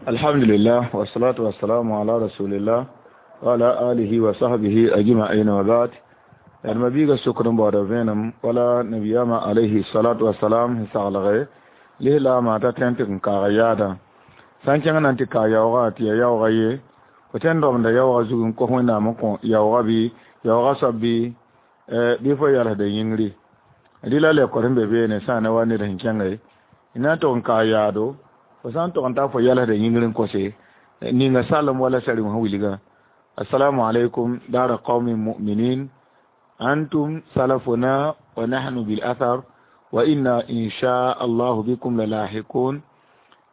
Alhamdulillah, wassalatu wassalamu ala rasulillah wa ala alihi wa sahbihi ajma'in wa ba'd. Yaa mabiiga sokr n baooda vẽenem wala nabiyama alayhi salatu wassalam sẽn saglge lislaamã t'a tõe n tɩ n kaag yaadã sã n kẽng na n tɩ kaag yaoogã tɩ yaa yaoogã ye fo tõe n robenda yaoogã zug n kos Wẽnnaam n kõ yaoogã bɩ yaoogã soab bɩ fo yalsda yĩngri rɩ la lekor sẽn be beene sã n na wa ned sẽn kẽnge y na n tog n kaag yaado fo sã n tog n taa fo yalsda yĩngr n kose ninga salem wala sari wã wilgã. Assalamu alaikum dara qaumin mu'minin, antum salafuna wa nahnu bil athar wa inna insha allahu bikum lalahiqun,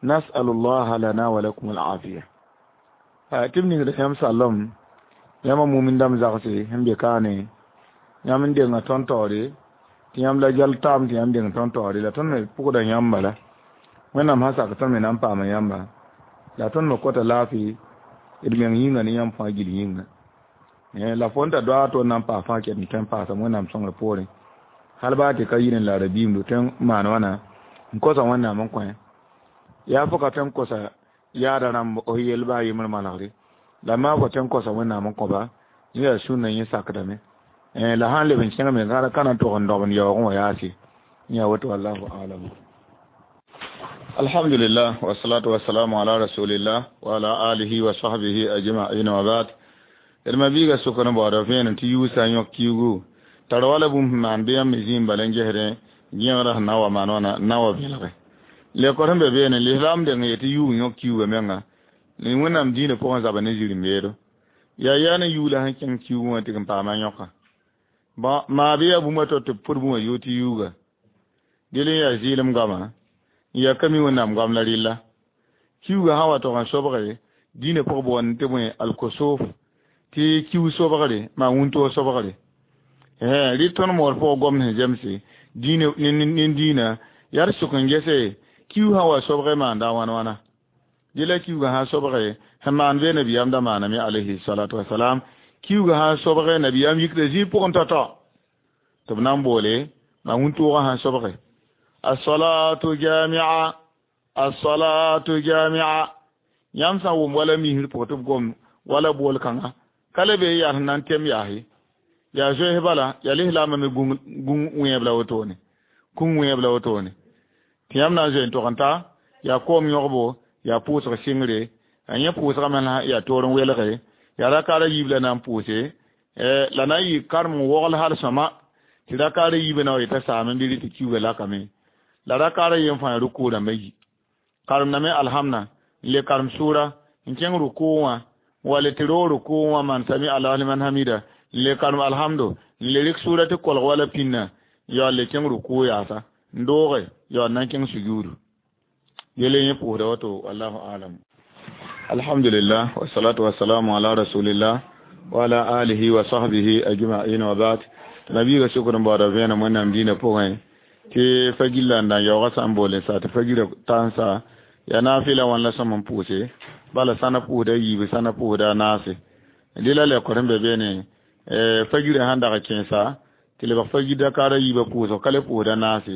nas'alu allah lana wa lakum al afiya. Tɩ b ningd yãmb salem yãmba mumin dãmb zagse sẽn be kaane yãmb n denga tõnd taoore tɩ yãmb la jal taam tɩ yãmb deng tõnd taoore la tõnd me pʋgda yãmb bala Wẽnnaam sã sak tõnd me na n paama yãmba la tõnd me kota laafɩ d meng yĩnga ne yãmb fãa gill yĩnga la fo n ta doaag tɩ na n paas fãa ket n tõe n paasame Wẽnnaam sõngr poorẽ hal baa tɩ ka yir n la rabiimdo tõe n maan wãna n kosa Wẽnnaam n kõ yaa fo ka tõe n kosa yaada rãmb f yell baa yembr manegre la maa fo tõe n kosa Wẽnnaam n kõba yẽ yaa sũnna yẽ sakdame la sãn leb n kẽngame ka na n tog n dogend yaoogẽ wã yaase yã woto wallahu alam. Alhamdulillah, wassalatu wassalamu ala rasulillah wa ala alihi wa sahbihi ajma'in wa ba'd. D mabiiga sokr n baooda vẽenem tɩ yuusã yõk kiugu tar wala bũmb sẽn maan bɩ yãmb me zĩim bala n gesdẽ gẽegrã sẽn na n wa maan wãna n na n wa vẽlge lekor sẽn be beene lislaam deng n yetɩ yuug yõk kiuga menga Wẽnnaam dĩinã pʋgẽ zaba ne zirẽ-beedo yaa yaa ne yuug la sẽn kẽng kiugẽ wã tɩ n paama yõka bõn maa bɩ yaa bũmb a to tɩ b pʋd bũmb yoog tɩ yuuga dɩl n yaa zɩɩlem goama n yaa ka mi Wẽnnaam goam la rɩlla kiuga sã wa tog n sobge dĩinã pʋg boond tɩ bõe alkosoof tɩ kiu sobgre maa wũntoog sobgre rɩ tõnd moor pʋgã gomd sẽn zemse nin dĩinã yaa d sʋk n gese kiu sã wa sobge maanda wãn wãna dɩ la kiuga sã sobge sẽn maan bee nabiyaam da maaname alayhi salatu wasalam kiuga sã sobge nabiyaam yikda zĩig pʋgẽ tao-tao tɩ b na n boole maa wũntoogã sã sobge as-salatu jami'a as-salatu jami'a yãmb sã n wʋm wala misr pʋgẽ tɩ b gom wala bool kãngã ka le be yaa sẽn na n tem yaase yaa zoees bala yaa lislaambã me gung wẽeb la wotone kũng wẽeb la wotone tɩ yãmb na n zoe n tog n ta yaa koom yõgbo yaa pʋʋsg sɩngre a yẽ pʋʋsgame yaa toor n welge yaa rakaara yiib la na n pʋʋse la na n yɩ karem n wogl hal sõma tɩ rakaara yiibã na wa yeta saam n bɩ rɩ tɩ kiuga lakame la rakaara yen fãa rukuu rãmbã yi karemdame alhamna n le karem sʋʋra n kẽng rukuu wã wala tɩ roog rukuu wã maan sami allahu liman hamida n le karem alhamdo n le rɩk sʋʋra tɩ kolg wala pĩnna yaool le kẽng rukuu yaasa n dooge yaool na n kẽng sujuudu yele yẽ pʋʋsda wato wallahu alam. Alhamdulillah, wassalatu wassalamu ala rasulillah wa ala alihi wa sahbihi ajma'in wa ba'd. Tɩ nabiiga sokr n baooda vẽenem Wẽnnaam dĩinã pʋgẽ tɩ fa gilla n da n yaoogã sã n boole sa tɩ fa gira tãnsa yaa naafɩla wãn la sõm n pʋʋse bala sãna pʋʋsda yiibu sãna pʋʋsda a naase dɩ la lekor sẽn be beene fa gira sãn dag kẽesa tɩ lebg fa gir dakaara yiibã pʋʋsg ka le pʋʋsda naase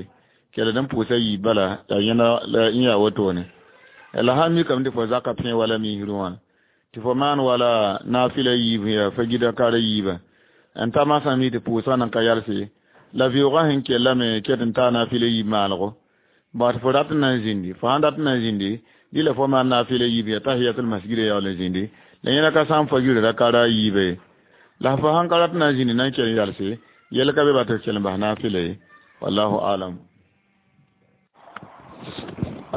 kell d n pʋʋsa yiib bala yaa yẽna la n yaa wotone la sãn mikame tɩ fo zaka pẽ wala misrẽ wã tɩ fo maan wala naafɩla yiib yaa fa gir dakaara yiibã n ta masã mi tɩ pʋʋsgã nan ka yalse la vɩoogã sẽn kellame ket n taa naafɩla yiib maalgo ba tɩ fo rat n na n zĩndi fo sãn rat n na n zĩndi dɩ la fo maan naafɩla yiib yaa tahiyatul masjid yaool n zĩndi la yẽna ka sã n fa gira rakaara yiiba ye la fo sãn ka rat n na n zĩndi na n kell n yalse yɛl ka be ba tɩ kell n bas naafɩla ye wallahu alam.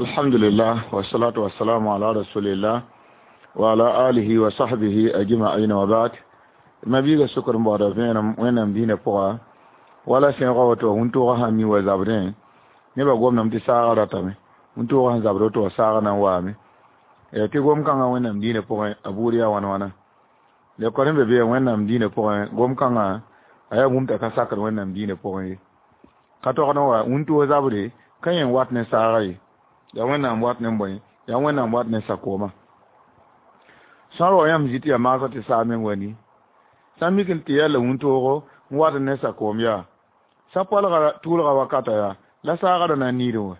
Alhamdulillah, wassalatu wassalamu ala rasulillah wa ala alihi wa sahbihi ajma'in wa ba'd. Mabiiga sokr n baooda vẽenem Wẽnnaam dĩinã pʋga wala sẽegã woto wũntʋʋgã sã n mi wa zabdẽ nebã gomdame tɩ saagã ratame wũntʋʋgã sẽn zabd woto wã saagã na n waame tɩ gom-kãngã Wẽnnaam dĩinã pʋgẽ a buud yaa wãn wãna lekor sẽn be be Wẽnnaam dĩinã pʋgẽ gom-kãngã a yaa bũmb t'a ka sakd Wẽnnaam dĩinã pʋgẽ ye ka togd n wa wũntʋʋg zabre ka yẽ wat ne saagã ye yaa Wẽnnaam wat ne bõe yaa Wẽnnaam wat ne sakoomã sã n wa yãmb zĩ tɩ yaa maasã tɩ saag meng wa ni sã n mik n tɩ yaa la wũntoogo n wat ne sakoom yaa sã poalga tʋʋlga wakata yaa la saagã ra na n niidẽ wã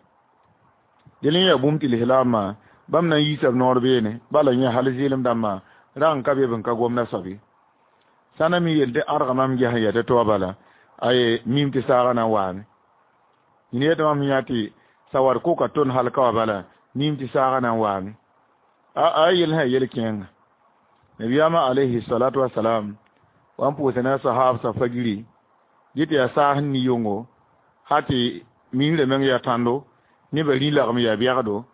dẽl n yaa bũmb tɩ lislaambã Bãmb na n yiisa b noor beene bala yẽ hal zɩɩlem dãmbã rag n ka be b n ka gomda soab ye. Sã na mi yel tɩ ãdga mam ges n yaa tɩ to bala aye mim tɩ saagã na n waame. Yĩn yetɩ mam yã tɩ sawar koka tõnd hal ka wa bala mim tɩ saagã na n waame. A yel sã yel kẽenga. Nabiyaamã alayhi salatu wasalam wa n pʋʋsa ne a sahaabsã fagiri dɩ tɩ yaa saas n ni yʋngo ha tɩ miisrã meng yaa tãndo nebã rĩ lagem yaa bɛgdo.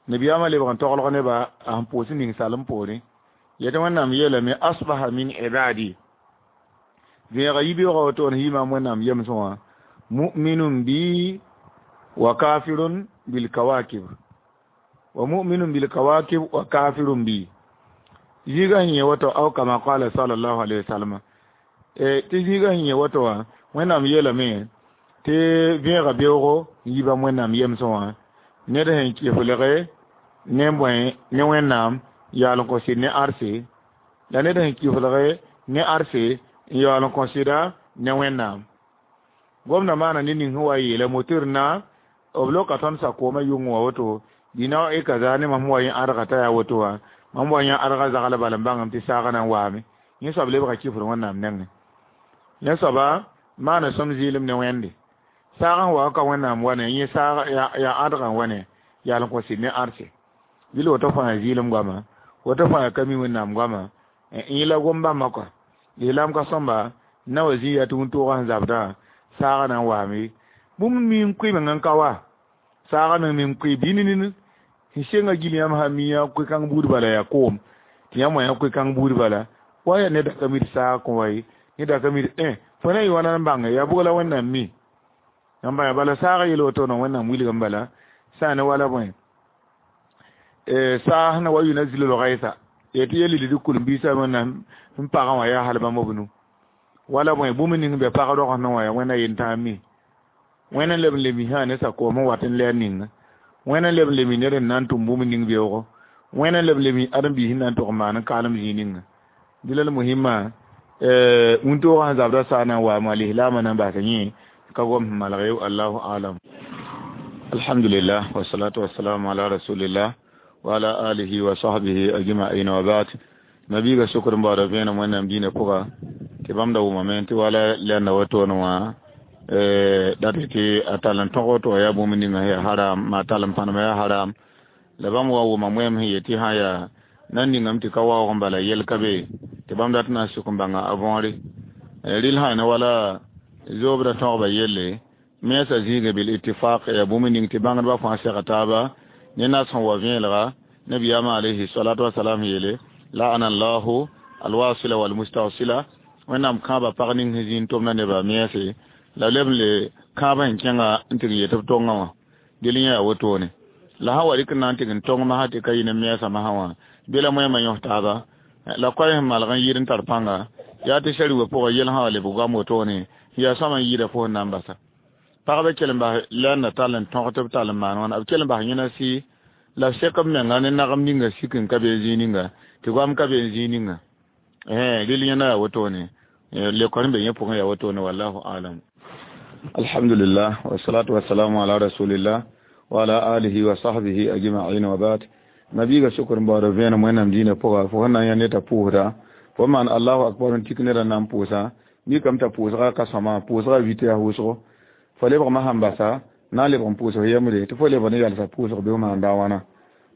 Nabiyaamã lebg n toglg neba a sẽn pʋʋs ning salem poorẽ. Yetɩ Wẽnnaam yeelame asbaha min ibadi vẽega yibeoogã woto n yɩ maam Wẽnnaam yemsẽ wã mu'minun bi wa kafirun bil kawakib wa mu'minun bil kawakib wa kafirun bi. Zĩigã sẽn yẽ woto aw kama qala sallallahu alayhi wa sallam tɩ zĩigã sẽn yẽ woto wã Wẽnnaam yeelame tɩ vẽega beoogo n yi bãmb Wẽnnaam yemsẽ wã ned sẽn kɩflge ne bõe ne Wẽnnaam yaal n kõ sɩd ne arse la ned sẽn kɩflge ne arse n yaool n kõ sɩda ne Wẽnnaam. Gomdã maana ned ning sẽn wa yeela motor na b loka tõnd sakoomã yʋng wã woto dĩna e kaza ne mam wa yẽ ãdga t'a yaa woto wã mam wa yẽ ãdga zagl bala n bãngame tɩ saagã na n waame. Yẽ soab lebga kɩfr Wẽnnaam nengẽ. Yẽ soaba maana sõm zɩɩlem ne Wẽnde. Saagã sẽn wa ka Wẽnnaam wa ne yẽ saag yaa ãdgã wa ne yaal n kõ sɩd ne arse. Dɩl woto fãa zɩɩlem goama woto fãa ka mi Wẽnnaam goama yẽ la gom bãmba kɔa. Lislaam ka sõmba na wa zĩ yaa tɩ wĩntoogã sẽn zabdã saagã na n waame. Bũmb mi n koe meng n ka wa saagã meng me n koe bɩ nini sẽn senga gil yãmb sã mi yã koe-kãng buud bala yaa koom tɩ yãmb wa yã koe-kãng buud bala wa yaa ned ka mi tɩ saag kõ wa ye ned ka mi tɩ fo na yɩ wãna n bãnge yaa bʋg la Wẽnnaam mi. Yãmb bãnga bala saagã yel woto Wẽnnaam wilgem bala sã ne wala bõe saas na wa yunazzilu l-ghaytha tɩ yel lid kulum-biisã Wẽnnaam n pagã wã yaa hal bãmb b nu wala bõe bũmb ning bɛ pag rogs wã yaa Wẽnna yentãag mi. Wẽnna leb n le misã ne sakoom n wat n lɛɛr ninga. Wẽnna leb n le mi ned n na n tʋm bũmb ning beoogo. Wẽnna leb n le mi ãdem-biis n na n tʋg n maan n kaalem zĩig ninga. Dɩ la muhimma wĩntoogã sẽn zabda saag na n waama lislaamã na n basa yẽ ka gom sẽn malg ye allahu alam. Alhamdulillah wa salatu wa salamu ala rasulillah wa ala alihi wa sahbihi ajma'in wa ba'd. Nabiga sukr n baoodã vẽenem Wẽnnaam dĩinã pʋga tɩ bãmb da wʋmame tɩ wala lɛnda wotone wã dat tɩ a tall n tõg woto wã yaa bũmb ninga yaa haram maa tall n pãnema yaa haram la bãmb wa wʋma wẽem sẽn yet tɩ sã yaa na n ningame tɩ ka waoog n bala yel ka be tɩ bãmb dat na n sʋk n bãnga a võore. Rɩl sã ne wala zoobdã tõgba yelle mensã zĩigã bil ittifaq yaa bũmb ning tɩ bãngdbã fãa sega taaba ne nas sẽn wa vẽelga nabiyaamã alayhi salatu wasalam yeele la'ana allahu alwasila walmustawsila Wẽnnaam kãaba pag ning sẽn zĩnd tʋmda nebã mense la leb n le kãabã sẽn kẽnga n tɩg n yet b tongã wã dɩl yẽ yaa wotone. La sã wa rɩk n na n tɩg n tong masã tɩ ka yɩ ne mensã masã wã bɩ la moẽmã yõs taaba la koɛɛ sẽn malg n yɩɩd n tar pãnga yaa tɩ sari wa pʋgã yel sã wa lebg goam wotone yaa sõma n yɩɩda fo sẽn na n basa. Pagba kell n bas lɛɛnda tall n tõg tɩ b tall n maan wãna b kell n bas yẽna sɩ la b sek b menga ne nagem ninga sik n ka be n zĩig ninga tɩ goam ka be n zĩig ninga. Rɩl yẽna yaa wotone lekor n be yẽ pʋgẽ yaa wotone wallahu alam. Alhamdulillah wa salatu wa salamu ala rasulillah wa ala alihi wa sahbihi ajma'in wa ba'd. Nabiga sukr n baoodã vẽenem Wẽnnaam dĩinã pʋga fo sẽn na n yã ned t'a pʋʋsda fo maan allahu akbar n tik nedã na n pʋʋsa mikame t'a pʋʋsga ka sõma pʋʋsga vit yaa wʋsgo fo lebgmã sãn basa na n lebg n pʋʋsg yembre tɩ fo lebg ne yalsa pʋʋsg bɩ f maan da wãna.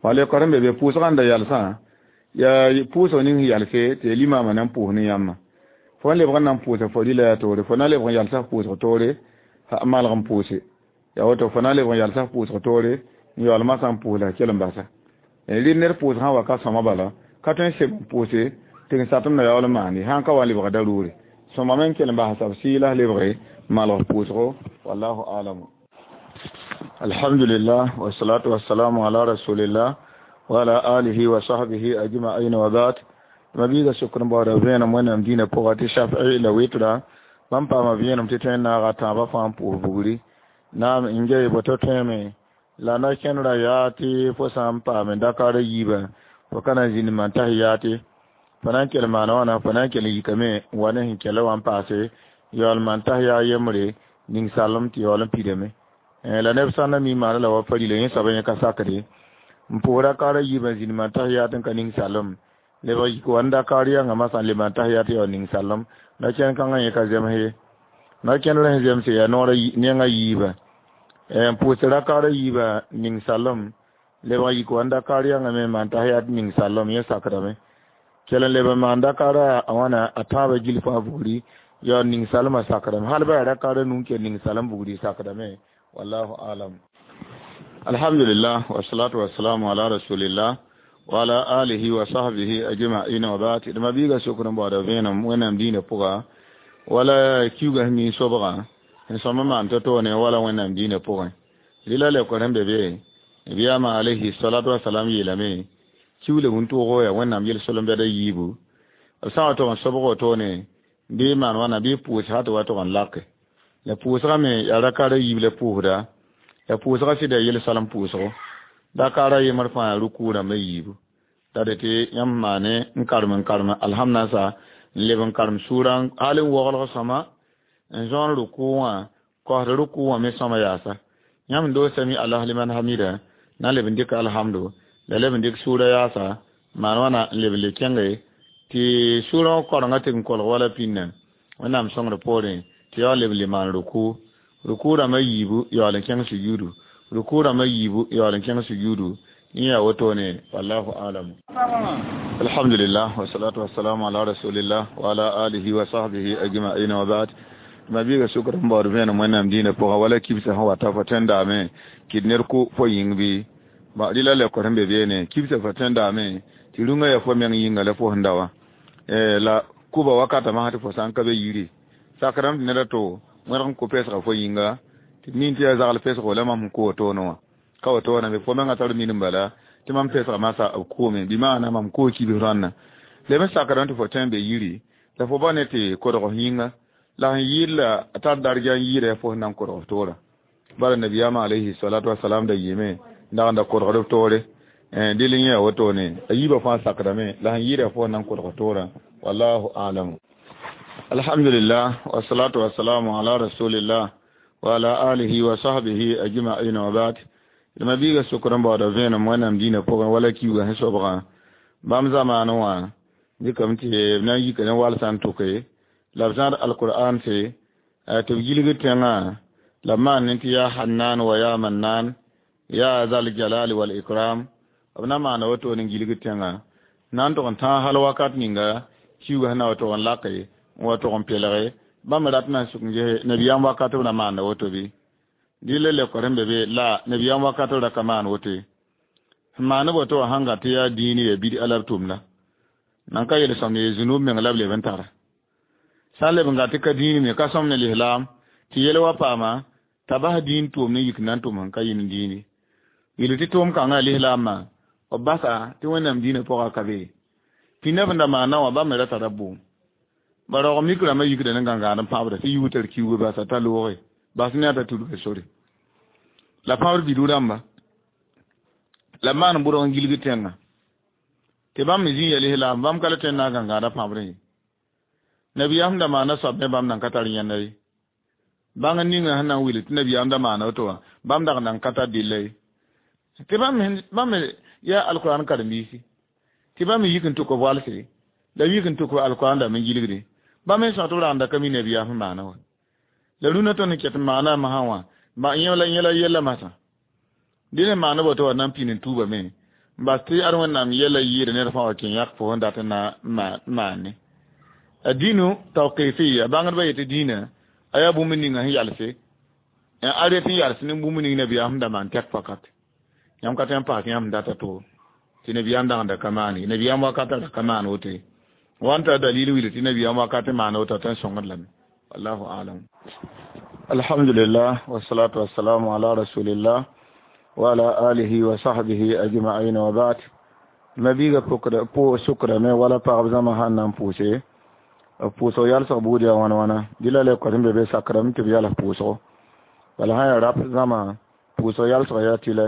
Wa lekor n be be pʋʋsgã n da yalsã yaa pʋʋsg ning sẽn yalse tɩ ya limaamã na n pʋʋs ne yãmba. Fo n lebg n na n pʋʋsa fo rɩla yaa toore fo na lebg n yalsa f pʋʋsg toore malg n pʋʋse yaa woto fo na lebg n yalsa f pʋʋsg toore n yaool masã n pʋʋs la kell n basa. Rɩl ned pʋʋsg sã wa ka sõma bala ka tõe n seb n pʋʋse tɩ n satem na yaool n maande sã n ka wa n lebga daruure sõmame n kell n basa b sɩɩ la lebge malg pʋʋsgo wallahu alam. Alhamdulillah wa salatu wa salamu ala rasulillah wa ala alihi wa sahbihi ajma'in wa ba'd. Mabiiga sukr n baoodã vẽenem Wẽnnaam dĩinã pʋga tɩ shafi'i la wɩtra bãmb paama vẽenem tɩ tõe n naaga tãabã fãa n pʋʋs bugri naam n ge boto tõeme la na kẽndra yaa tɩ fo sã n paame dakar yiibã fo ka na n zĩnd maan tahiyaate fo na n kell maana wãna fo na n kell n yikame n wa ne sẽn kẽla wã n paase yaool maan tahiya yembre ning salem tɩ yaool n pidame. La neb sã n na mi maana la wa farila yẽ soaba yẽ ka sakde N pʋʋs rakaara yiibã zĩnd maan tahiyat n ka ning salem. Lebg yik wa n dakaar yãnga masã n le maan tahiyat ya ning salem. Na-kẽnd kãngã yẽ ka zems ye. Na-kẽndr sẽn zemse yaa noorã nengã yiibã. N pʋʋs rakaara yiibã ning salem. Lebg yik wa n dakaar yãnga me maan tahiyat ning salem yẽ sakdame. Kell n leb n maan dakaara a wãna a tãabã gil fãa bugri ya ning salmã sakdame. Hal ba yaa rakaara nu n kell ning salem bugri sakdame. Wallahu alam. Alhamdulillah wassalatu wassalamu ala rasulillah wa ala alihi wa sahbihi ajma'in wa ba'd. D ma-biiga sokr n baooda vẽenem Wẽnnaam dĩinã pʋga wala kiuugã sẽn mi sobgã sẽn sõm n maan to-toone wala Wẽnnaam dĩinã pʋgẽ. Rɩla leokr sẽn be be Nabiyaamã alayhi salatu wasalam yeelame kiuule wũntʋʋgo yaa Wẽnnaam yel-solem-bɛda yiibu. B sã n wa tog n sobg wotone bɩ maan wãna bɩ pʋʋs sã tɩ wa tog n lake. La pʋʋsgã me yaa rakaara yiib la pʋʋsda. La pʋʋsgã sɩda yel-salem pʋʋsgo. Dakaara yembr fãa yaa rukuu rãmbã yiibu. La dẽ tɩ yãmb maane n karem alhamdnasa n leb n karem sʋʋrã hal n woglg sõma n zõon rukuu wã kosd rukuu wã me sõma yaasa. Yãmb doog sami Allah liman hamida na leb n dɩk alhamdu la leb n dɩk sʋʋra yaasa maan wãna n leb n le kẽnge tɩ sʋʋrã wã korengã tɩ n kolg wala pĩnnã Wẽnnaam sõngr poorẽ tɩ yaool leb n le maan rukuu. Rukuu rãmbã yiibu yaool n kẽng sujuudu. Rukuu rãmbã yiibu yaool n kẽng sujuudu. Yẽ yaa wotone wallahu alam. Alhamdulillah wassalatu wassalamu ala rasulillah wa ala alihi wa sahbihi ajma'in wa ba'd. Ma-biiga sʋkr n baood vẽenem Wẽnnaam dĩinã pʋgã wala kibsã sẽn wata fo tẽndaame kɩd ned kʋ fo yĩng bɩ rɩla leokr sẽn be beene kibsã fo tẽndaame tɩ rũngã yaa fo meng yĩnga la fo sẽn da wã. La kʋba wakatã masã tɩ fo sã n ka be yiri sakrame tɩ ned a to wẽrg n kʋ pesga fo yĩnga tɩ min tɩ yaa zagl pesgo la mam sẽn kʋ wotone wã ka wotone me fo mengã tar minim bala tɩ mam pesga masã b kʋʋme bɩ maana mam koo kibs rãnna. Leb n sakrame tɩ fo tõe n be yiri la fo ba ne tɩ kodg f yĩnga la sẽn yɩɩd la a tar darga n yɩɩda fo sẽn na n kodg f toora. Bala nabiyaamã alayhi salatu wasalam da yɩɩme n dag n da kodgd f toore. Dɩl n yẽ wotone a yiibã fãa sakdame la sẽn yɩɩda fo sẽn na n kodg f toorã. Wallahu alam. Alhamdulillah wassalatu wassalamu ala rasulillah wa ala alihi wa sahbihi ajma'in wa ba'd. D ma-biiga sokr n baooda vẽenem Wẽnnaam dĩinã pʋgẽ wala kiuugã sẽn sobgã bãmb zamaanẽ wã dɩkame tɩ b na n yika ne walsã n tʋke la b zãad alqur'an se tɩ b gilgd tẽngã la b maan ne tɩ yaa Hannan wa yaa Mannan yaa zal jalali wal ikram b na maana wotone n gilgd tẽngã na n tog n tãag hal wakat ninga kiuugã sẽn na wa tog n lake n wa tog n pelge bãmb rat na n suk n ges nabiyaam wakat b na maanda woto bɩ dɩ la leokr sẽn be be la nabiyaam wakat ra ka maan woto ye. Sẽn maand woto wã sãn gat tɩ yaa dĩin yaa bid-a la b tʋmda nan ka yel sõmd ye zũnub meng la b leb n tara. Sã n leb n gat tɩ ka dĩin me ka sõm ne lislaam tɩ yel wa paama t'a bas dĩin tʋʋm ne yik na n tʋm sẽn ka yĩn dĩini. Yel tɩ tʋʋm kãngã lislaamã b basa tɩ Wẽnnaam dĩinã pʋgã ka be. Pĩndã b da maana wã bãmb me ra tara bʋʋm. Ba raoog mik rãmbã yikda ne gãngaad n pãbda tɩ yuug tar kiuugã basa t'a looge bas ne a t'a tudga sore. La pãbd bidu rãmba la maan bʋrg n gilg tẽngã tɩ bãmb me zĩ ya lislaam bãmb ka la tõe n na n gãngaadã pãbrẽ ye. Nabiyaam da maana soab me bãmb nan ka tar yẽnda ye. Bãng ninga sẽn na n wil tɩ nabiyaam da maana woto wã bãmb dag nan ka tar dɩlla ye. Tɩ bãmb me yaa alqur'an karen-biisi tɩ bãmb me yik n tʋk b walse la yik n tʋk alqur'an dãmb n gilgde bãmb me sõs tɩ b ragenda ka mi nabiyaam sẽn maana wã. La rũnã tõnd n ket n maana masã wã yẽ la yella masã. Dẽ ne maana woto wã na n pĩnd n tuubame n bas tɩ ad Wẽnnaam yɛla yɩɩda ned fãa wa kẽ yãk fo sẽn dat n na maane. A dĩnu tawqifiya bãngdbã yetɩ dĩinã a yaa bũmb ninga sẽn yalse n a ret n yals ne bũmb ning nabiyaam sẽn da maan tɛk fakat. Yãmb ka tõe n paas yãmb data to tɩ nabiyaam dagenda ka maan ye. Nabiyaam wakatã ra ka maan woto ye. Wa n tar dalil wilg tɩ nabiyaam wakat n maan woto tɩ n sõngd lame. Wallahu alam. Alhamdulillah wassalatu wassalamu ala rasulillah wa ala alihi wa sahbihi ajma'in wa ba'd. Ma-biiga sʋkrame wala pagb zãma sãn na n pʋʋse b pʋʋsg yalsg buud yaa wãna wãna dɩ la leokr sẽn be be sakrame tɩ b yals pʋʋsgo. Bala sã n yaa rap zãma pʋʋsg yalsg yaa tɩlɛ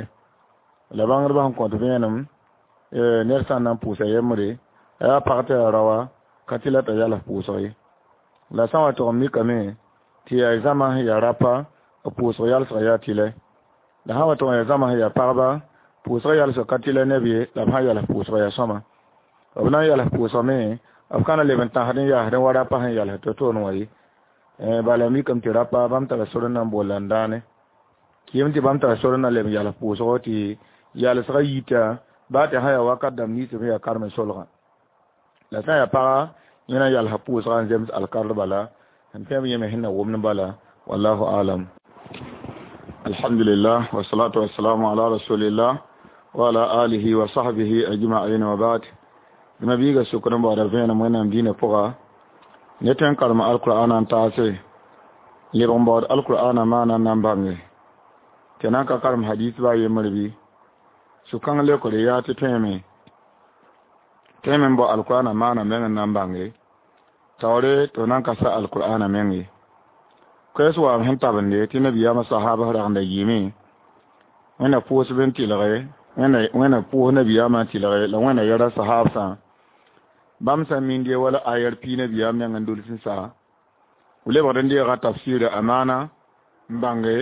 la bãngdbã sẽn kõt vẽenem ned sã n na n pʋʋsa yembre a yaa pag tɩ yaa raoa ka tɩ la t'a yals pʋʋsg ye. La sã n wa tog n mikame tɩ yaa zãma sẽn yaa rapa b pʋʋsg yalsg yaa tɩlɛ. La sã n wa tog n yaa zãma sẽn yaa pagba Pʋʋsg yalsg ka tɩ la neb ye, la b sã n yals pʋʋsg yaa sõma. B na n yals pʋʋsgame, b ka na leb n tãsd n yaasd wa rapa sẽn yals to-toon wã ye. Bala mikame tɩ rapa bãmb tara sor n na n bool la n dãane. Kɩɩm tɩ bãmb tara sor n na leb n yals pʋʋsgo tɩ yalsgã yita baa tɩ sã yaa wakat dãmb nins sẽn yaa karem solgã. La sã n yaa paga yẽ na n yalsa pʋʋsgã n zems alkard bala n tẽeb yẽ me sẽn na wʋmd bala. Wallahu alam. Alhamdulillah wassalatu wassalamu ala rasulillah wa ala alihi wa sahbihi ajma'in wa ba'd. Nabiga sukran ba da vẽenem Wẽnnaam dĩinã pʋga ne tõe n karem alkur'ana n taase leb n baood alkur'ana maana n na n bãnge tɩ na n ka karem hadis baa yembr bɩ sũ-kãng leokre yaa tɩ tõeme tõeme n bao alkur'ana maana meng n na n bãnge taoore tɩ f na n ka sa alkur'ana meng ye. Koɛɛs waam sẽn tabende tɩ nabiyaamã sahaabs ragenda yɩɩme Wẽnna pʋʋsb n tɩlge Wẽnna pʋʋs nabiyaamã n tɩlge la Wẽnna yɛra sahaabsã bãmb sã n minde wala ayar pii nabiyaam neng n dols n sa lebgd n deega tafsira amaana n bãnge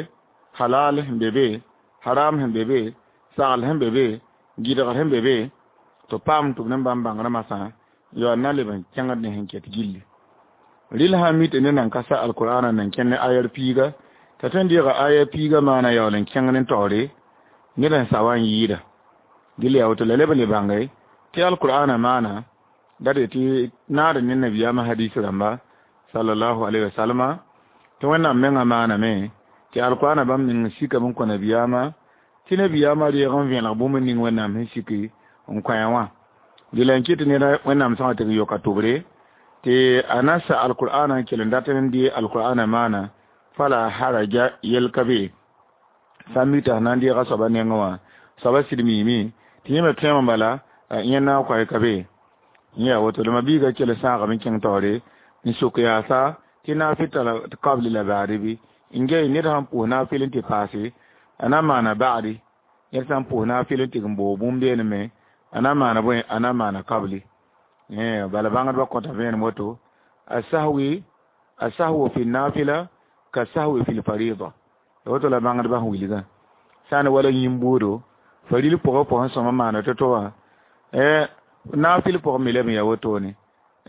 halal sẽn be be, haram sẽn be be, sagl sẽn be be, gɩdgr sẽn be be, tɩ paam tɩ b ne bãmb bãngrã masã yaool na leb n kẽngd ne sẽn ket gilli. Rɩl sã n mi tɩ ned nan ka sa alkur'ana nan kẽnd ne ayar piiga t'a tõe n deega ayar piiga maana yaool n kẽng ne taoore ned n sa wa n yɩɩda. Dɩl yaa woto la leb n le bãnge tɩ alkur'ana maana dat tɩ naad ne nabiyaamã hadis rãmba sallallahu alaihi wasallam tɩ Wẽnnaam mengã maaname tɩ alkur'ana bãmb ning sikame n kõ nabiyaamã tɩ nabiyaamã reeg n vẽelg bũmb ning Wẽnnaam sẽn siki n kõ wã. Dɩla n kɩt neda Wẽnnaam sõsg tɩ yoka tʋbre tɩ a na sa alkur'ana n kell n dat n dee alkur'ana maana fala haraja yɛl ka be. Sã n mi tɩ na n deega soaba nengẽ wã soaba sɩd miime tɩ yẽ me tõeme bala yẽ na n koɛ ka be. Yẽ yaa woto la ma-biigã kell sãagame n kẽng taoore n sok yaasa tɩ naafɩ tara kabli la baade bɩ n gɛy ned sãn pʋʋs naafɩl n tɩ paase a na n maana ba'adi ned sã n pʋʋs naafɩl n tɩ n boog bũmb beene me a na n maana bõe a na n maana kabli. Bala bãngdbã kõta vẽenem woto asahwi asahwu fi nafila ka sahwi fi lfarida woto la bãngdbã sẽn wilgã sã n wala yĩn-buudo faril pʋgã pʋgẽ sõma maana to-to wã naafɩl pʋgẽ me leb n yaa wotone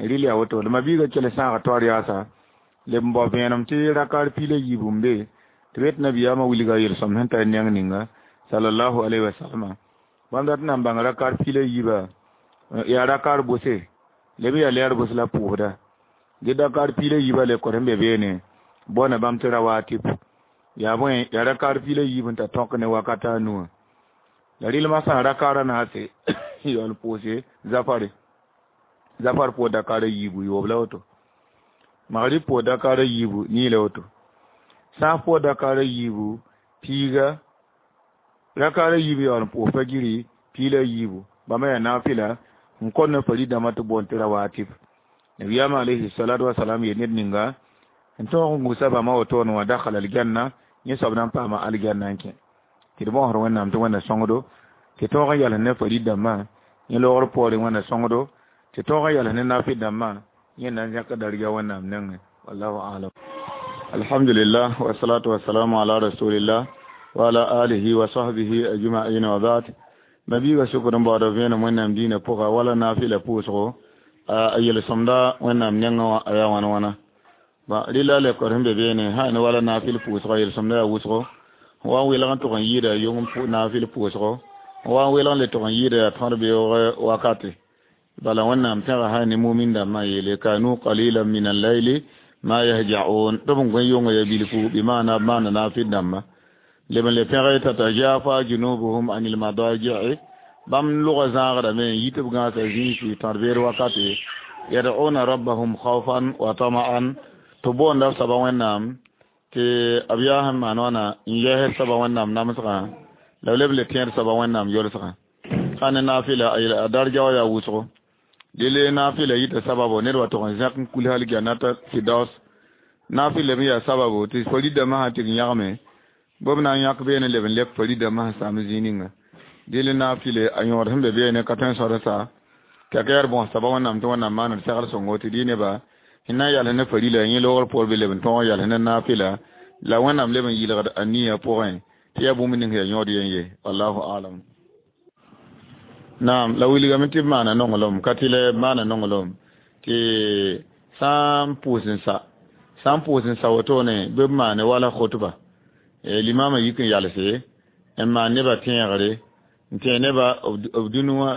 rɩl yaa woto la ma-biigã kell sãaga taoor yaasa leb n bao vẽenem tɩ rakar piila yiib n be tɩ b yet nabiyaamã wilga yel-sõm sẽn tar neng ninga sallallahu alaihi wasallam bãmb dat n na n bãng rakar piila yiiba yaa rakar bʋse leb yaa lɛɛr bʋs la pʋʋsda dɩ dakar piila yiiba le kõ sẽn be beene bõna bãmb tɩ rawatib yaa bõe yaa rakar piila yiib n ta tõk ne wakata a nuwã la rɩlmã sã n rakara naase yaool pʋʋse zafare zafar pʋʋs dakara yiibu yoob la woto magrib pʋʋs dakara yiibu nii la woto sãaf pʋʋs dakara yiibu piiga rakara yiibu yaool n pʋʋs fagiri piila yiibu bãmba yaa naafɩla n kõt ne fari dãmbã tɩ boond tɩ rawatib nabiyaamã alayhi salatu wasalam yel ned ninga n tõog n gũsa bãmba wotone wã dakhala aljanna yẽ soab na n paama aljanna n kẽ tɩ d bõosd Wẽnnaam tɩ Wẽnna sõngdo tɩ tõog n yals ne fari dãmbã yẽ loogr poorẽ Wẽnna sõngdo tɩ tõog n yals ne naafɩ dãmbã yẽ na n zẽk darga Wẽnnaam nengẽ wallahu alam. Alhamdulillah wassalatu wassalamu ala rasulillah wa ala alihi wa sahbihi ajma'in wa ba'd. Mabiiga sʋkd n baooda vẽenem Wẽnnaam dĩinã pʋga wala naafɩla pʋʋsgo a yel-sõmda Wẽnnaam nengẽ wã a yaa wãn wãna rɩla lekor sẽn be beene sã ne wala naafɩl pʋʋsgã yel-sõmda yaa wʋsgo wa n welg n tʋg n yɩɩda yong naafɩl pʋʋsgo wa n welg n le tʋg n yɩɩda yaa tõd beoog wakate bala Wẽnnaam tẽga sã ne mumin dãmbã yeele kanu qalilan min allayli ma yahja'un tɩ b n gõe yonga ya bilfu bɩ maana b maana naafɩl dãmba leb n le pẽge tatajafa junubuhum anil madaji'i bãmb lʋga zãagdame n yi tɩ b gãasa zĩisi tõd beer wakate yad'una rabbahum khawfan wa tama'an tɩ boonda b soaba Wẽnnaam tɩ b yaa sẽn maan wãna n yɛsd soaba Wẽnnaam namsgã la b leb le tẽed soaba Wẽnnaam yolsgã sã ne naafɩla a darja wã yaa wʋsgo dele naafɩla yita sababo ned wa tʋg n zẽk n kul hal jannata firdaus naafɩla me yaa sababo tɩ fari dãmbã sã tɩg n yãgme b na n yãk beene leb n lɛk fari dãmbã sẽn saam zĩig ninga dele naafɩle a yõod sẽn be beene ka tõe n sõd sa tɩ a ka yaa bõs soaba Wẽnnaam tɩ Wẽnnaam maand segl sõngo tɩ dɩ neba sẽn na n yals ne farila yẽ loogr poor bɩ leb n tõog n yals ne naafɩla la Wẽnnaam leb n yɩlgd a nia pʋgẽ tɩ yaa bũmb ning yaa yõod yen ye wallahu alam. Naam, la wilgame tɩ b maana nonglem, ka tɩ la b maana nonglem tɩ sã n pʋʋs n sa, sã n pʋʋs n sa wotone bɩ b maane wala khutba. Limama yik n yalse n maan nebã tẽegre, n tẽeg nebã b dũni wã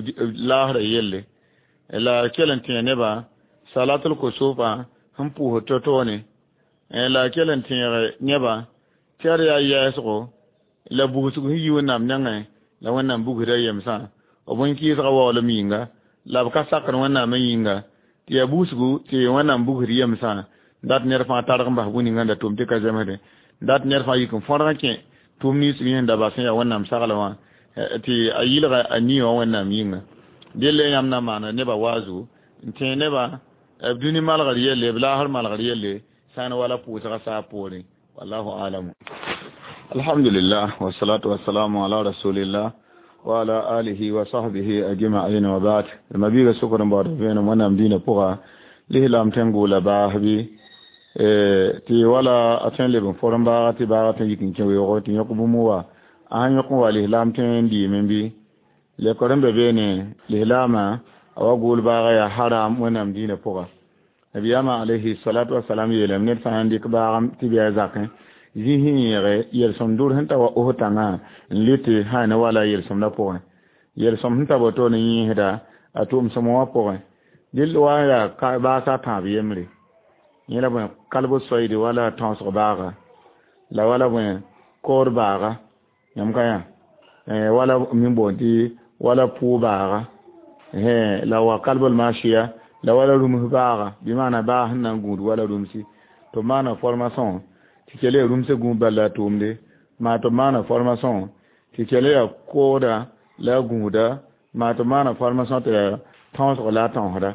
b laasrã yelle, la kell n tẽeg nebã salatul kusufã sẽn pʋʋsd to-toone, la kell n tẽeg nebã tɩ ad yaa yɛɛsgo la bugsg sẽn yi Wẽnnaam nengẽ la Wẽnnaam bugsda yemsã, b bõn-kɩɩsgã waoolem yĩnga la b ka sakd Wẽnnaamã yĩnga, tɩ yaa bugsgu tɩ Wẽnnaam bugsd yemsã, dat ned fãa targ n bas bũ-ninga n da tʋm tɩ ka zemsdẽ, dat ned fãa yik n fõrg n kẽ tʋʋm nins b yẽ da bas sẽn yaa Wẽnnaam saglã wã, tɩ a yɩlga a nii wã Wẽnnaam yĩnga. Delle yãmb na maana nebã waazu n tẽeg nebã b dũni malgr yelle, b laasr malgr yelle, sã n wala pʋʋsga saab poorẽ. Wallahu alamu. Alhamdulillah, wassalatu wassalamu ala rasulillah wa ala alihi wa sahbihi ajma'in wa ba'd. Mabiga sukr n baood vẽenem Wẽnnaam dĩinã pʋga lislaam tẽn gʋʋla baasbi tɩ wala a tõe n leb n forem baaga tɩ baaga tõe n yik n kẽ weoogo tɩ yõk bũmb wa a sãn yõk n wa lislaam tõe n diime bɩ lekr n be beene lislaamã a wa gʋʋl baaga yaa haram Wẽnnaam dĩinã pʋga. Nabiyaamã alayhi salatu wasalam yeelame ned sã n dɩk baagam tɩ bɩ a zakẽ zĩ sẽn yẽege yel-sõm dur sẽn ta wa os tãngã n lɩtɩ sã ne wala yel-sõmdã pʋgẽ, yel-sõm sẽn ta wotone yẽesda a tʋʋm-sõm wã pʋgẽ. Dɩl wa n yaa baasa tãab yembre, yẽ la bõe kalb soeede wala tãosg baaga, la wala bõe kood baaga, yãmb ka yã wala min boond tɩ wala pʋʋ baaga, la wa kalbl mashiya, la wala rũms baaga, bɩ maana baa sẽn na n gũud wala rũmsi tɩ b maana formation tɩ kell yaa rũmsã gũud bala la a tʋʋmde, maa tɩ b maana formation tɩ kell yaa kooda la a gũuda, maa tɩ b maana formation tɩ yaa tãosg la a tãosda.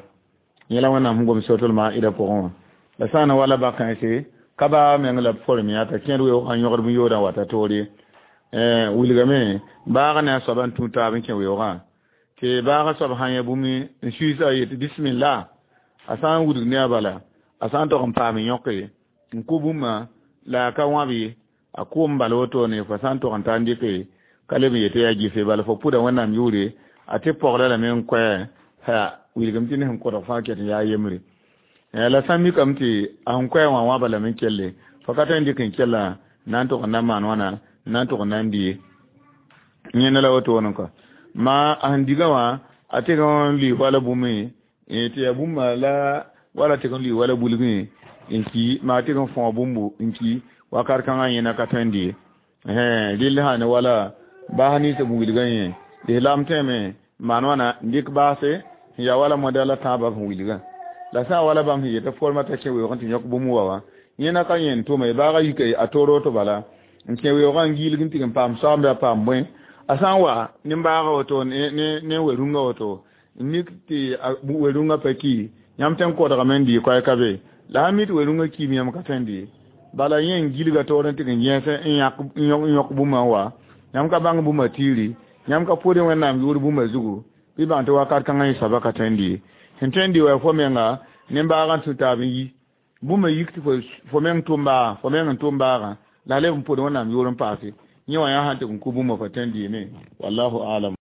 Yẽ la Wẽnnaam sẽn gom suratul maida pʋgẽ wã. La sã n na wala bak-kãense ka baa meng la b form yã t'a kẽed weoogã n yõgd bũn-yoodã n wata toor ye. Wilgame baagã ne a soaba n tũ taab n kẽ weoogã, tɩ baagã soab sã n yã bũmb n suiisa a yetɩ bismillah, a sã n wudg ne a bala, a sã n tog n paam n yõke n kʋ bũmba la a ka wãb ye, a kʋʋm bala wotone fo sã n tog n ta n dɩke ka leb n yetɩ yaa gɩfe, bala fo pʋda Wẽnnaam yʋʋre a tɩ pɔgda lame n koɛ ha wilgame tɩ ne sẽn kʋdg fãa ket n yaa yembre. La sã n mikame tɩ a sẽn koɛ wã wãba lame n kelle, fo ka tõe n dɩk n kella na n tog n na n maan wãna, na n tog n na n di ye. Yẽnda la wotone kɔ. Ma a sẽn diga wã a tɩg n lʋɩ wala bũmb tɩ yaa bũmba la wala tɩg n lʋɩ wala bulgẽ n ki, maa tɩg n fõo bũmbu n ki wakat kãngã yẽna ka tõe n di ye. Rɩll sã ne wala baas nins b wilgã yẽ lislaam tõeme n maan wãna n dɩk baase sẽn yaa wala modɛl la tãabã sẽn wilgã, la sã n wala bãmb sẽn yetɩ forma t'a kẽ weoogẽ tɩ yõk bũmb wa wã yẽna ka yẽn tʋma ye, baagã yika a toor woto bala n kẽ weoogã n giilg n tɩg n paam soaambe a paam bõe, a sã n wa nin-baagã woto ne we-rũngã woto n mik tɩ we-rũngã pa ki, yãmb tõe n kodgame n dɩ koɛɛ ka be, la sã n mi tɩ we-rũngã kiime yãmb ka tõe n dɩ, bala yẽ n gilga toor n tɩg n yẽs n yõk bũmba n wa, yãmb ka bãng bũmba tiiri, yãmb ka pʋʋd Wẽnnaam yʋʋr bũmba zugu, bɩ bãng tɩ wakat kãngã yẽ soaba ka tõe n dɩ ye. Sẽn tõe n dɩ wa fo menga nin-baagã n tũ taab n yi bũmba yik tɩ fo meng tʋm baaga, fo meng n tʋm baagã la a leb n pʋd Wẽnnaam yʋʋr n paase yẽ wã yaa sã n tɩg n kʋ bũmba fo tõe n dɩɩme. Wallahu alam.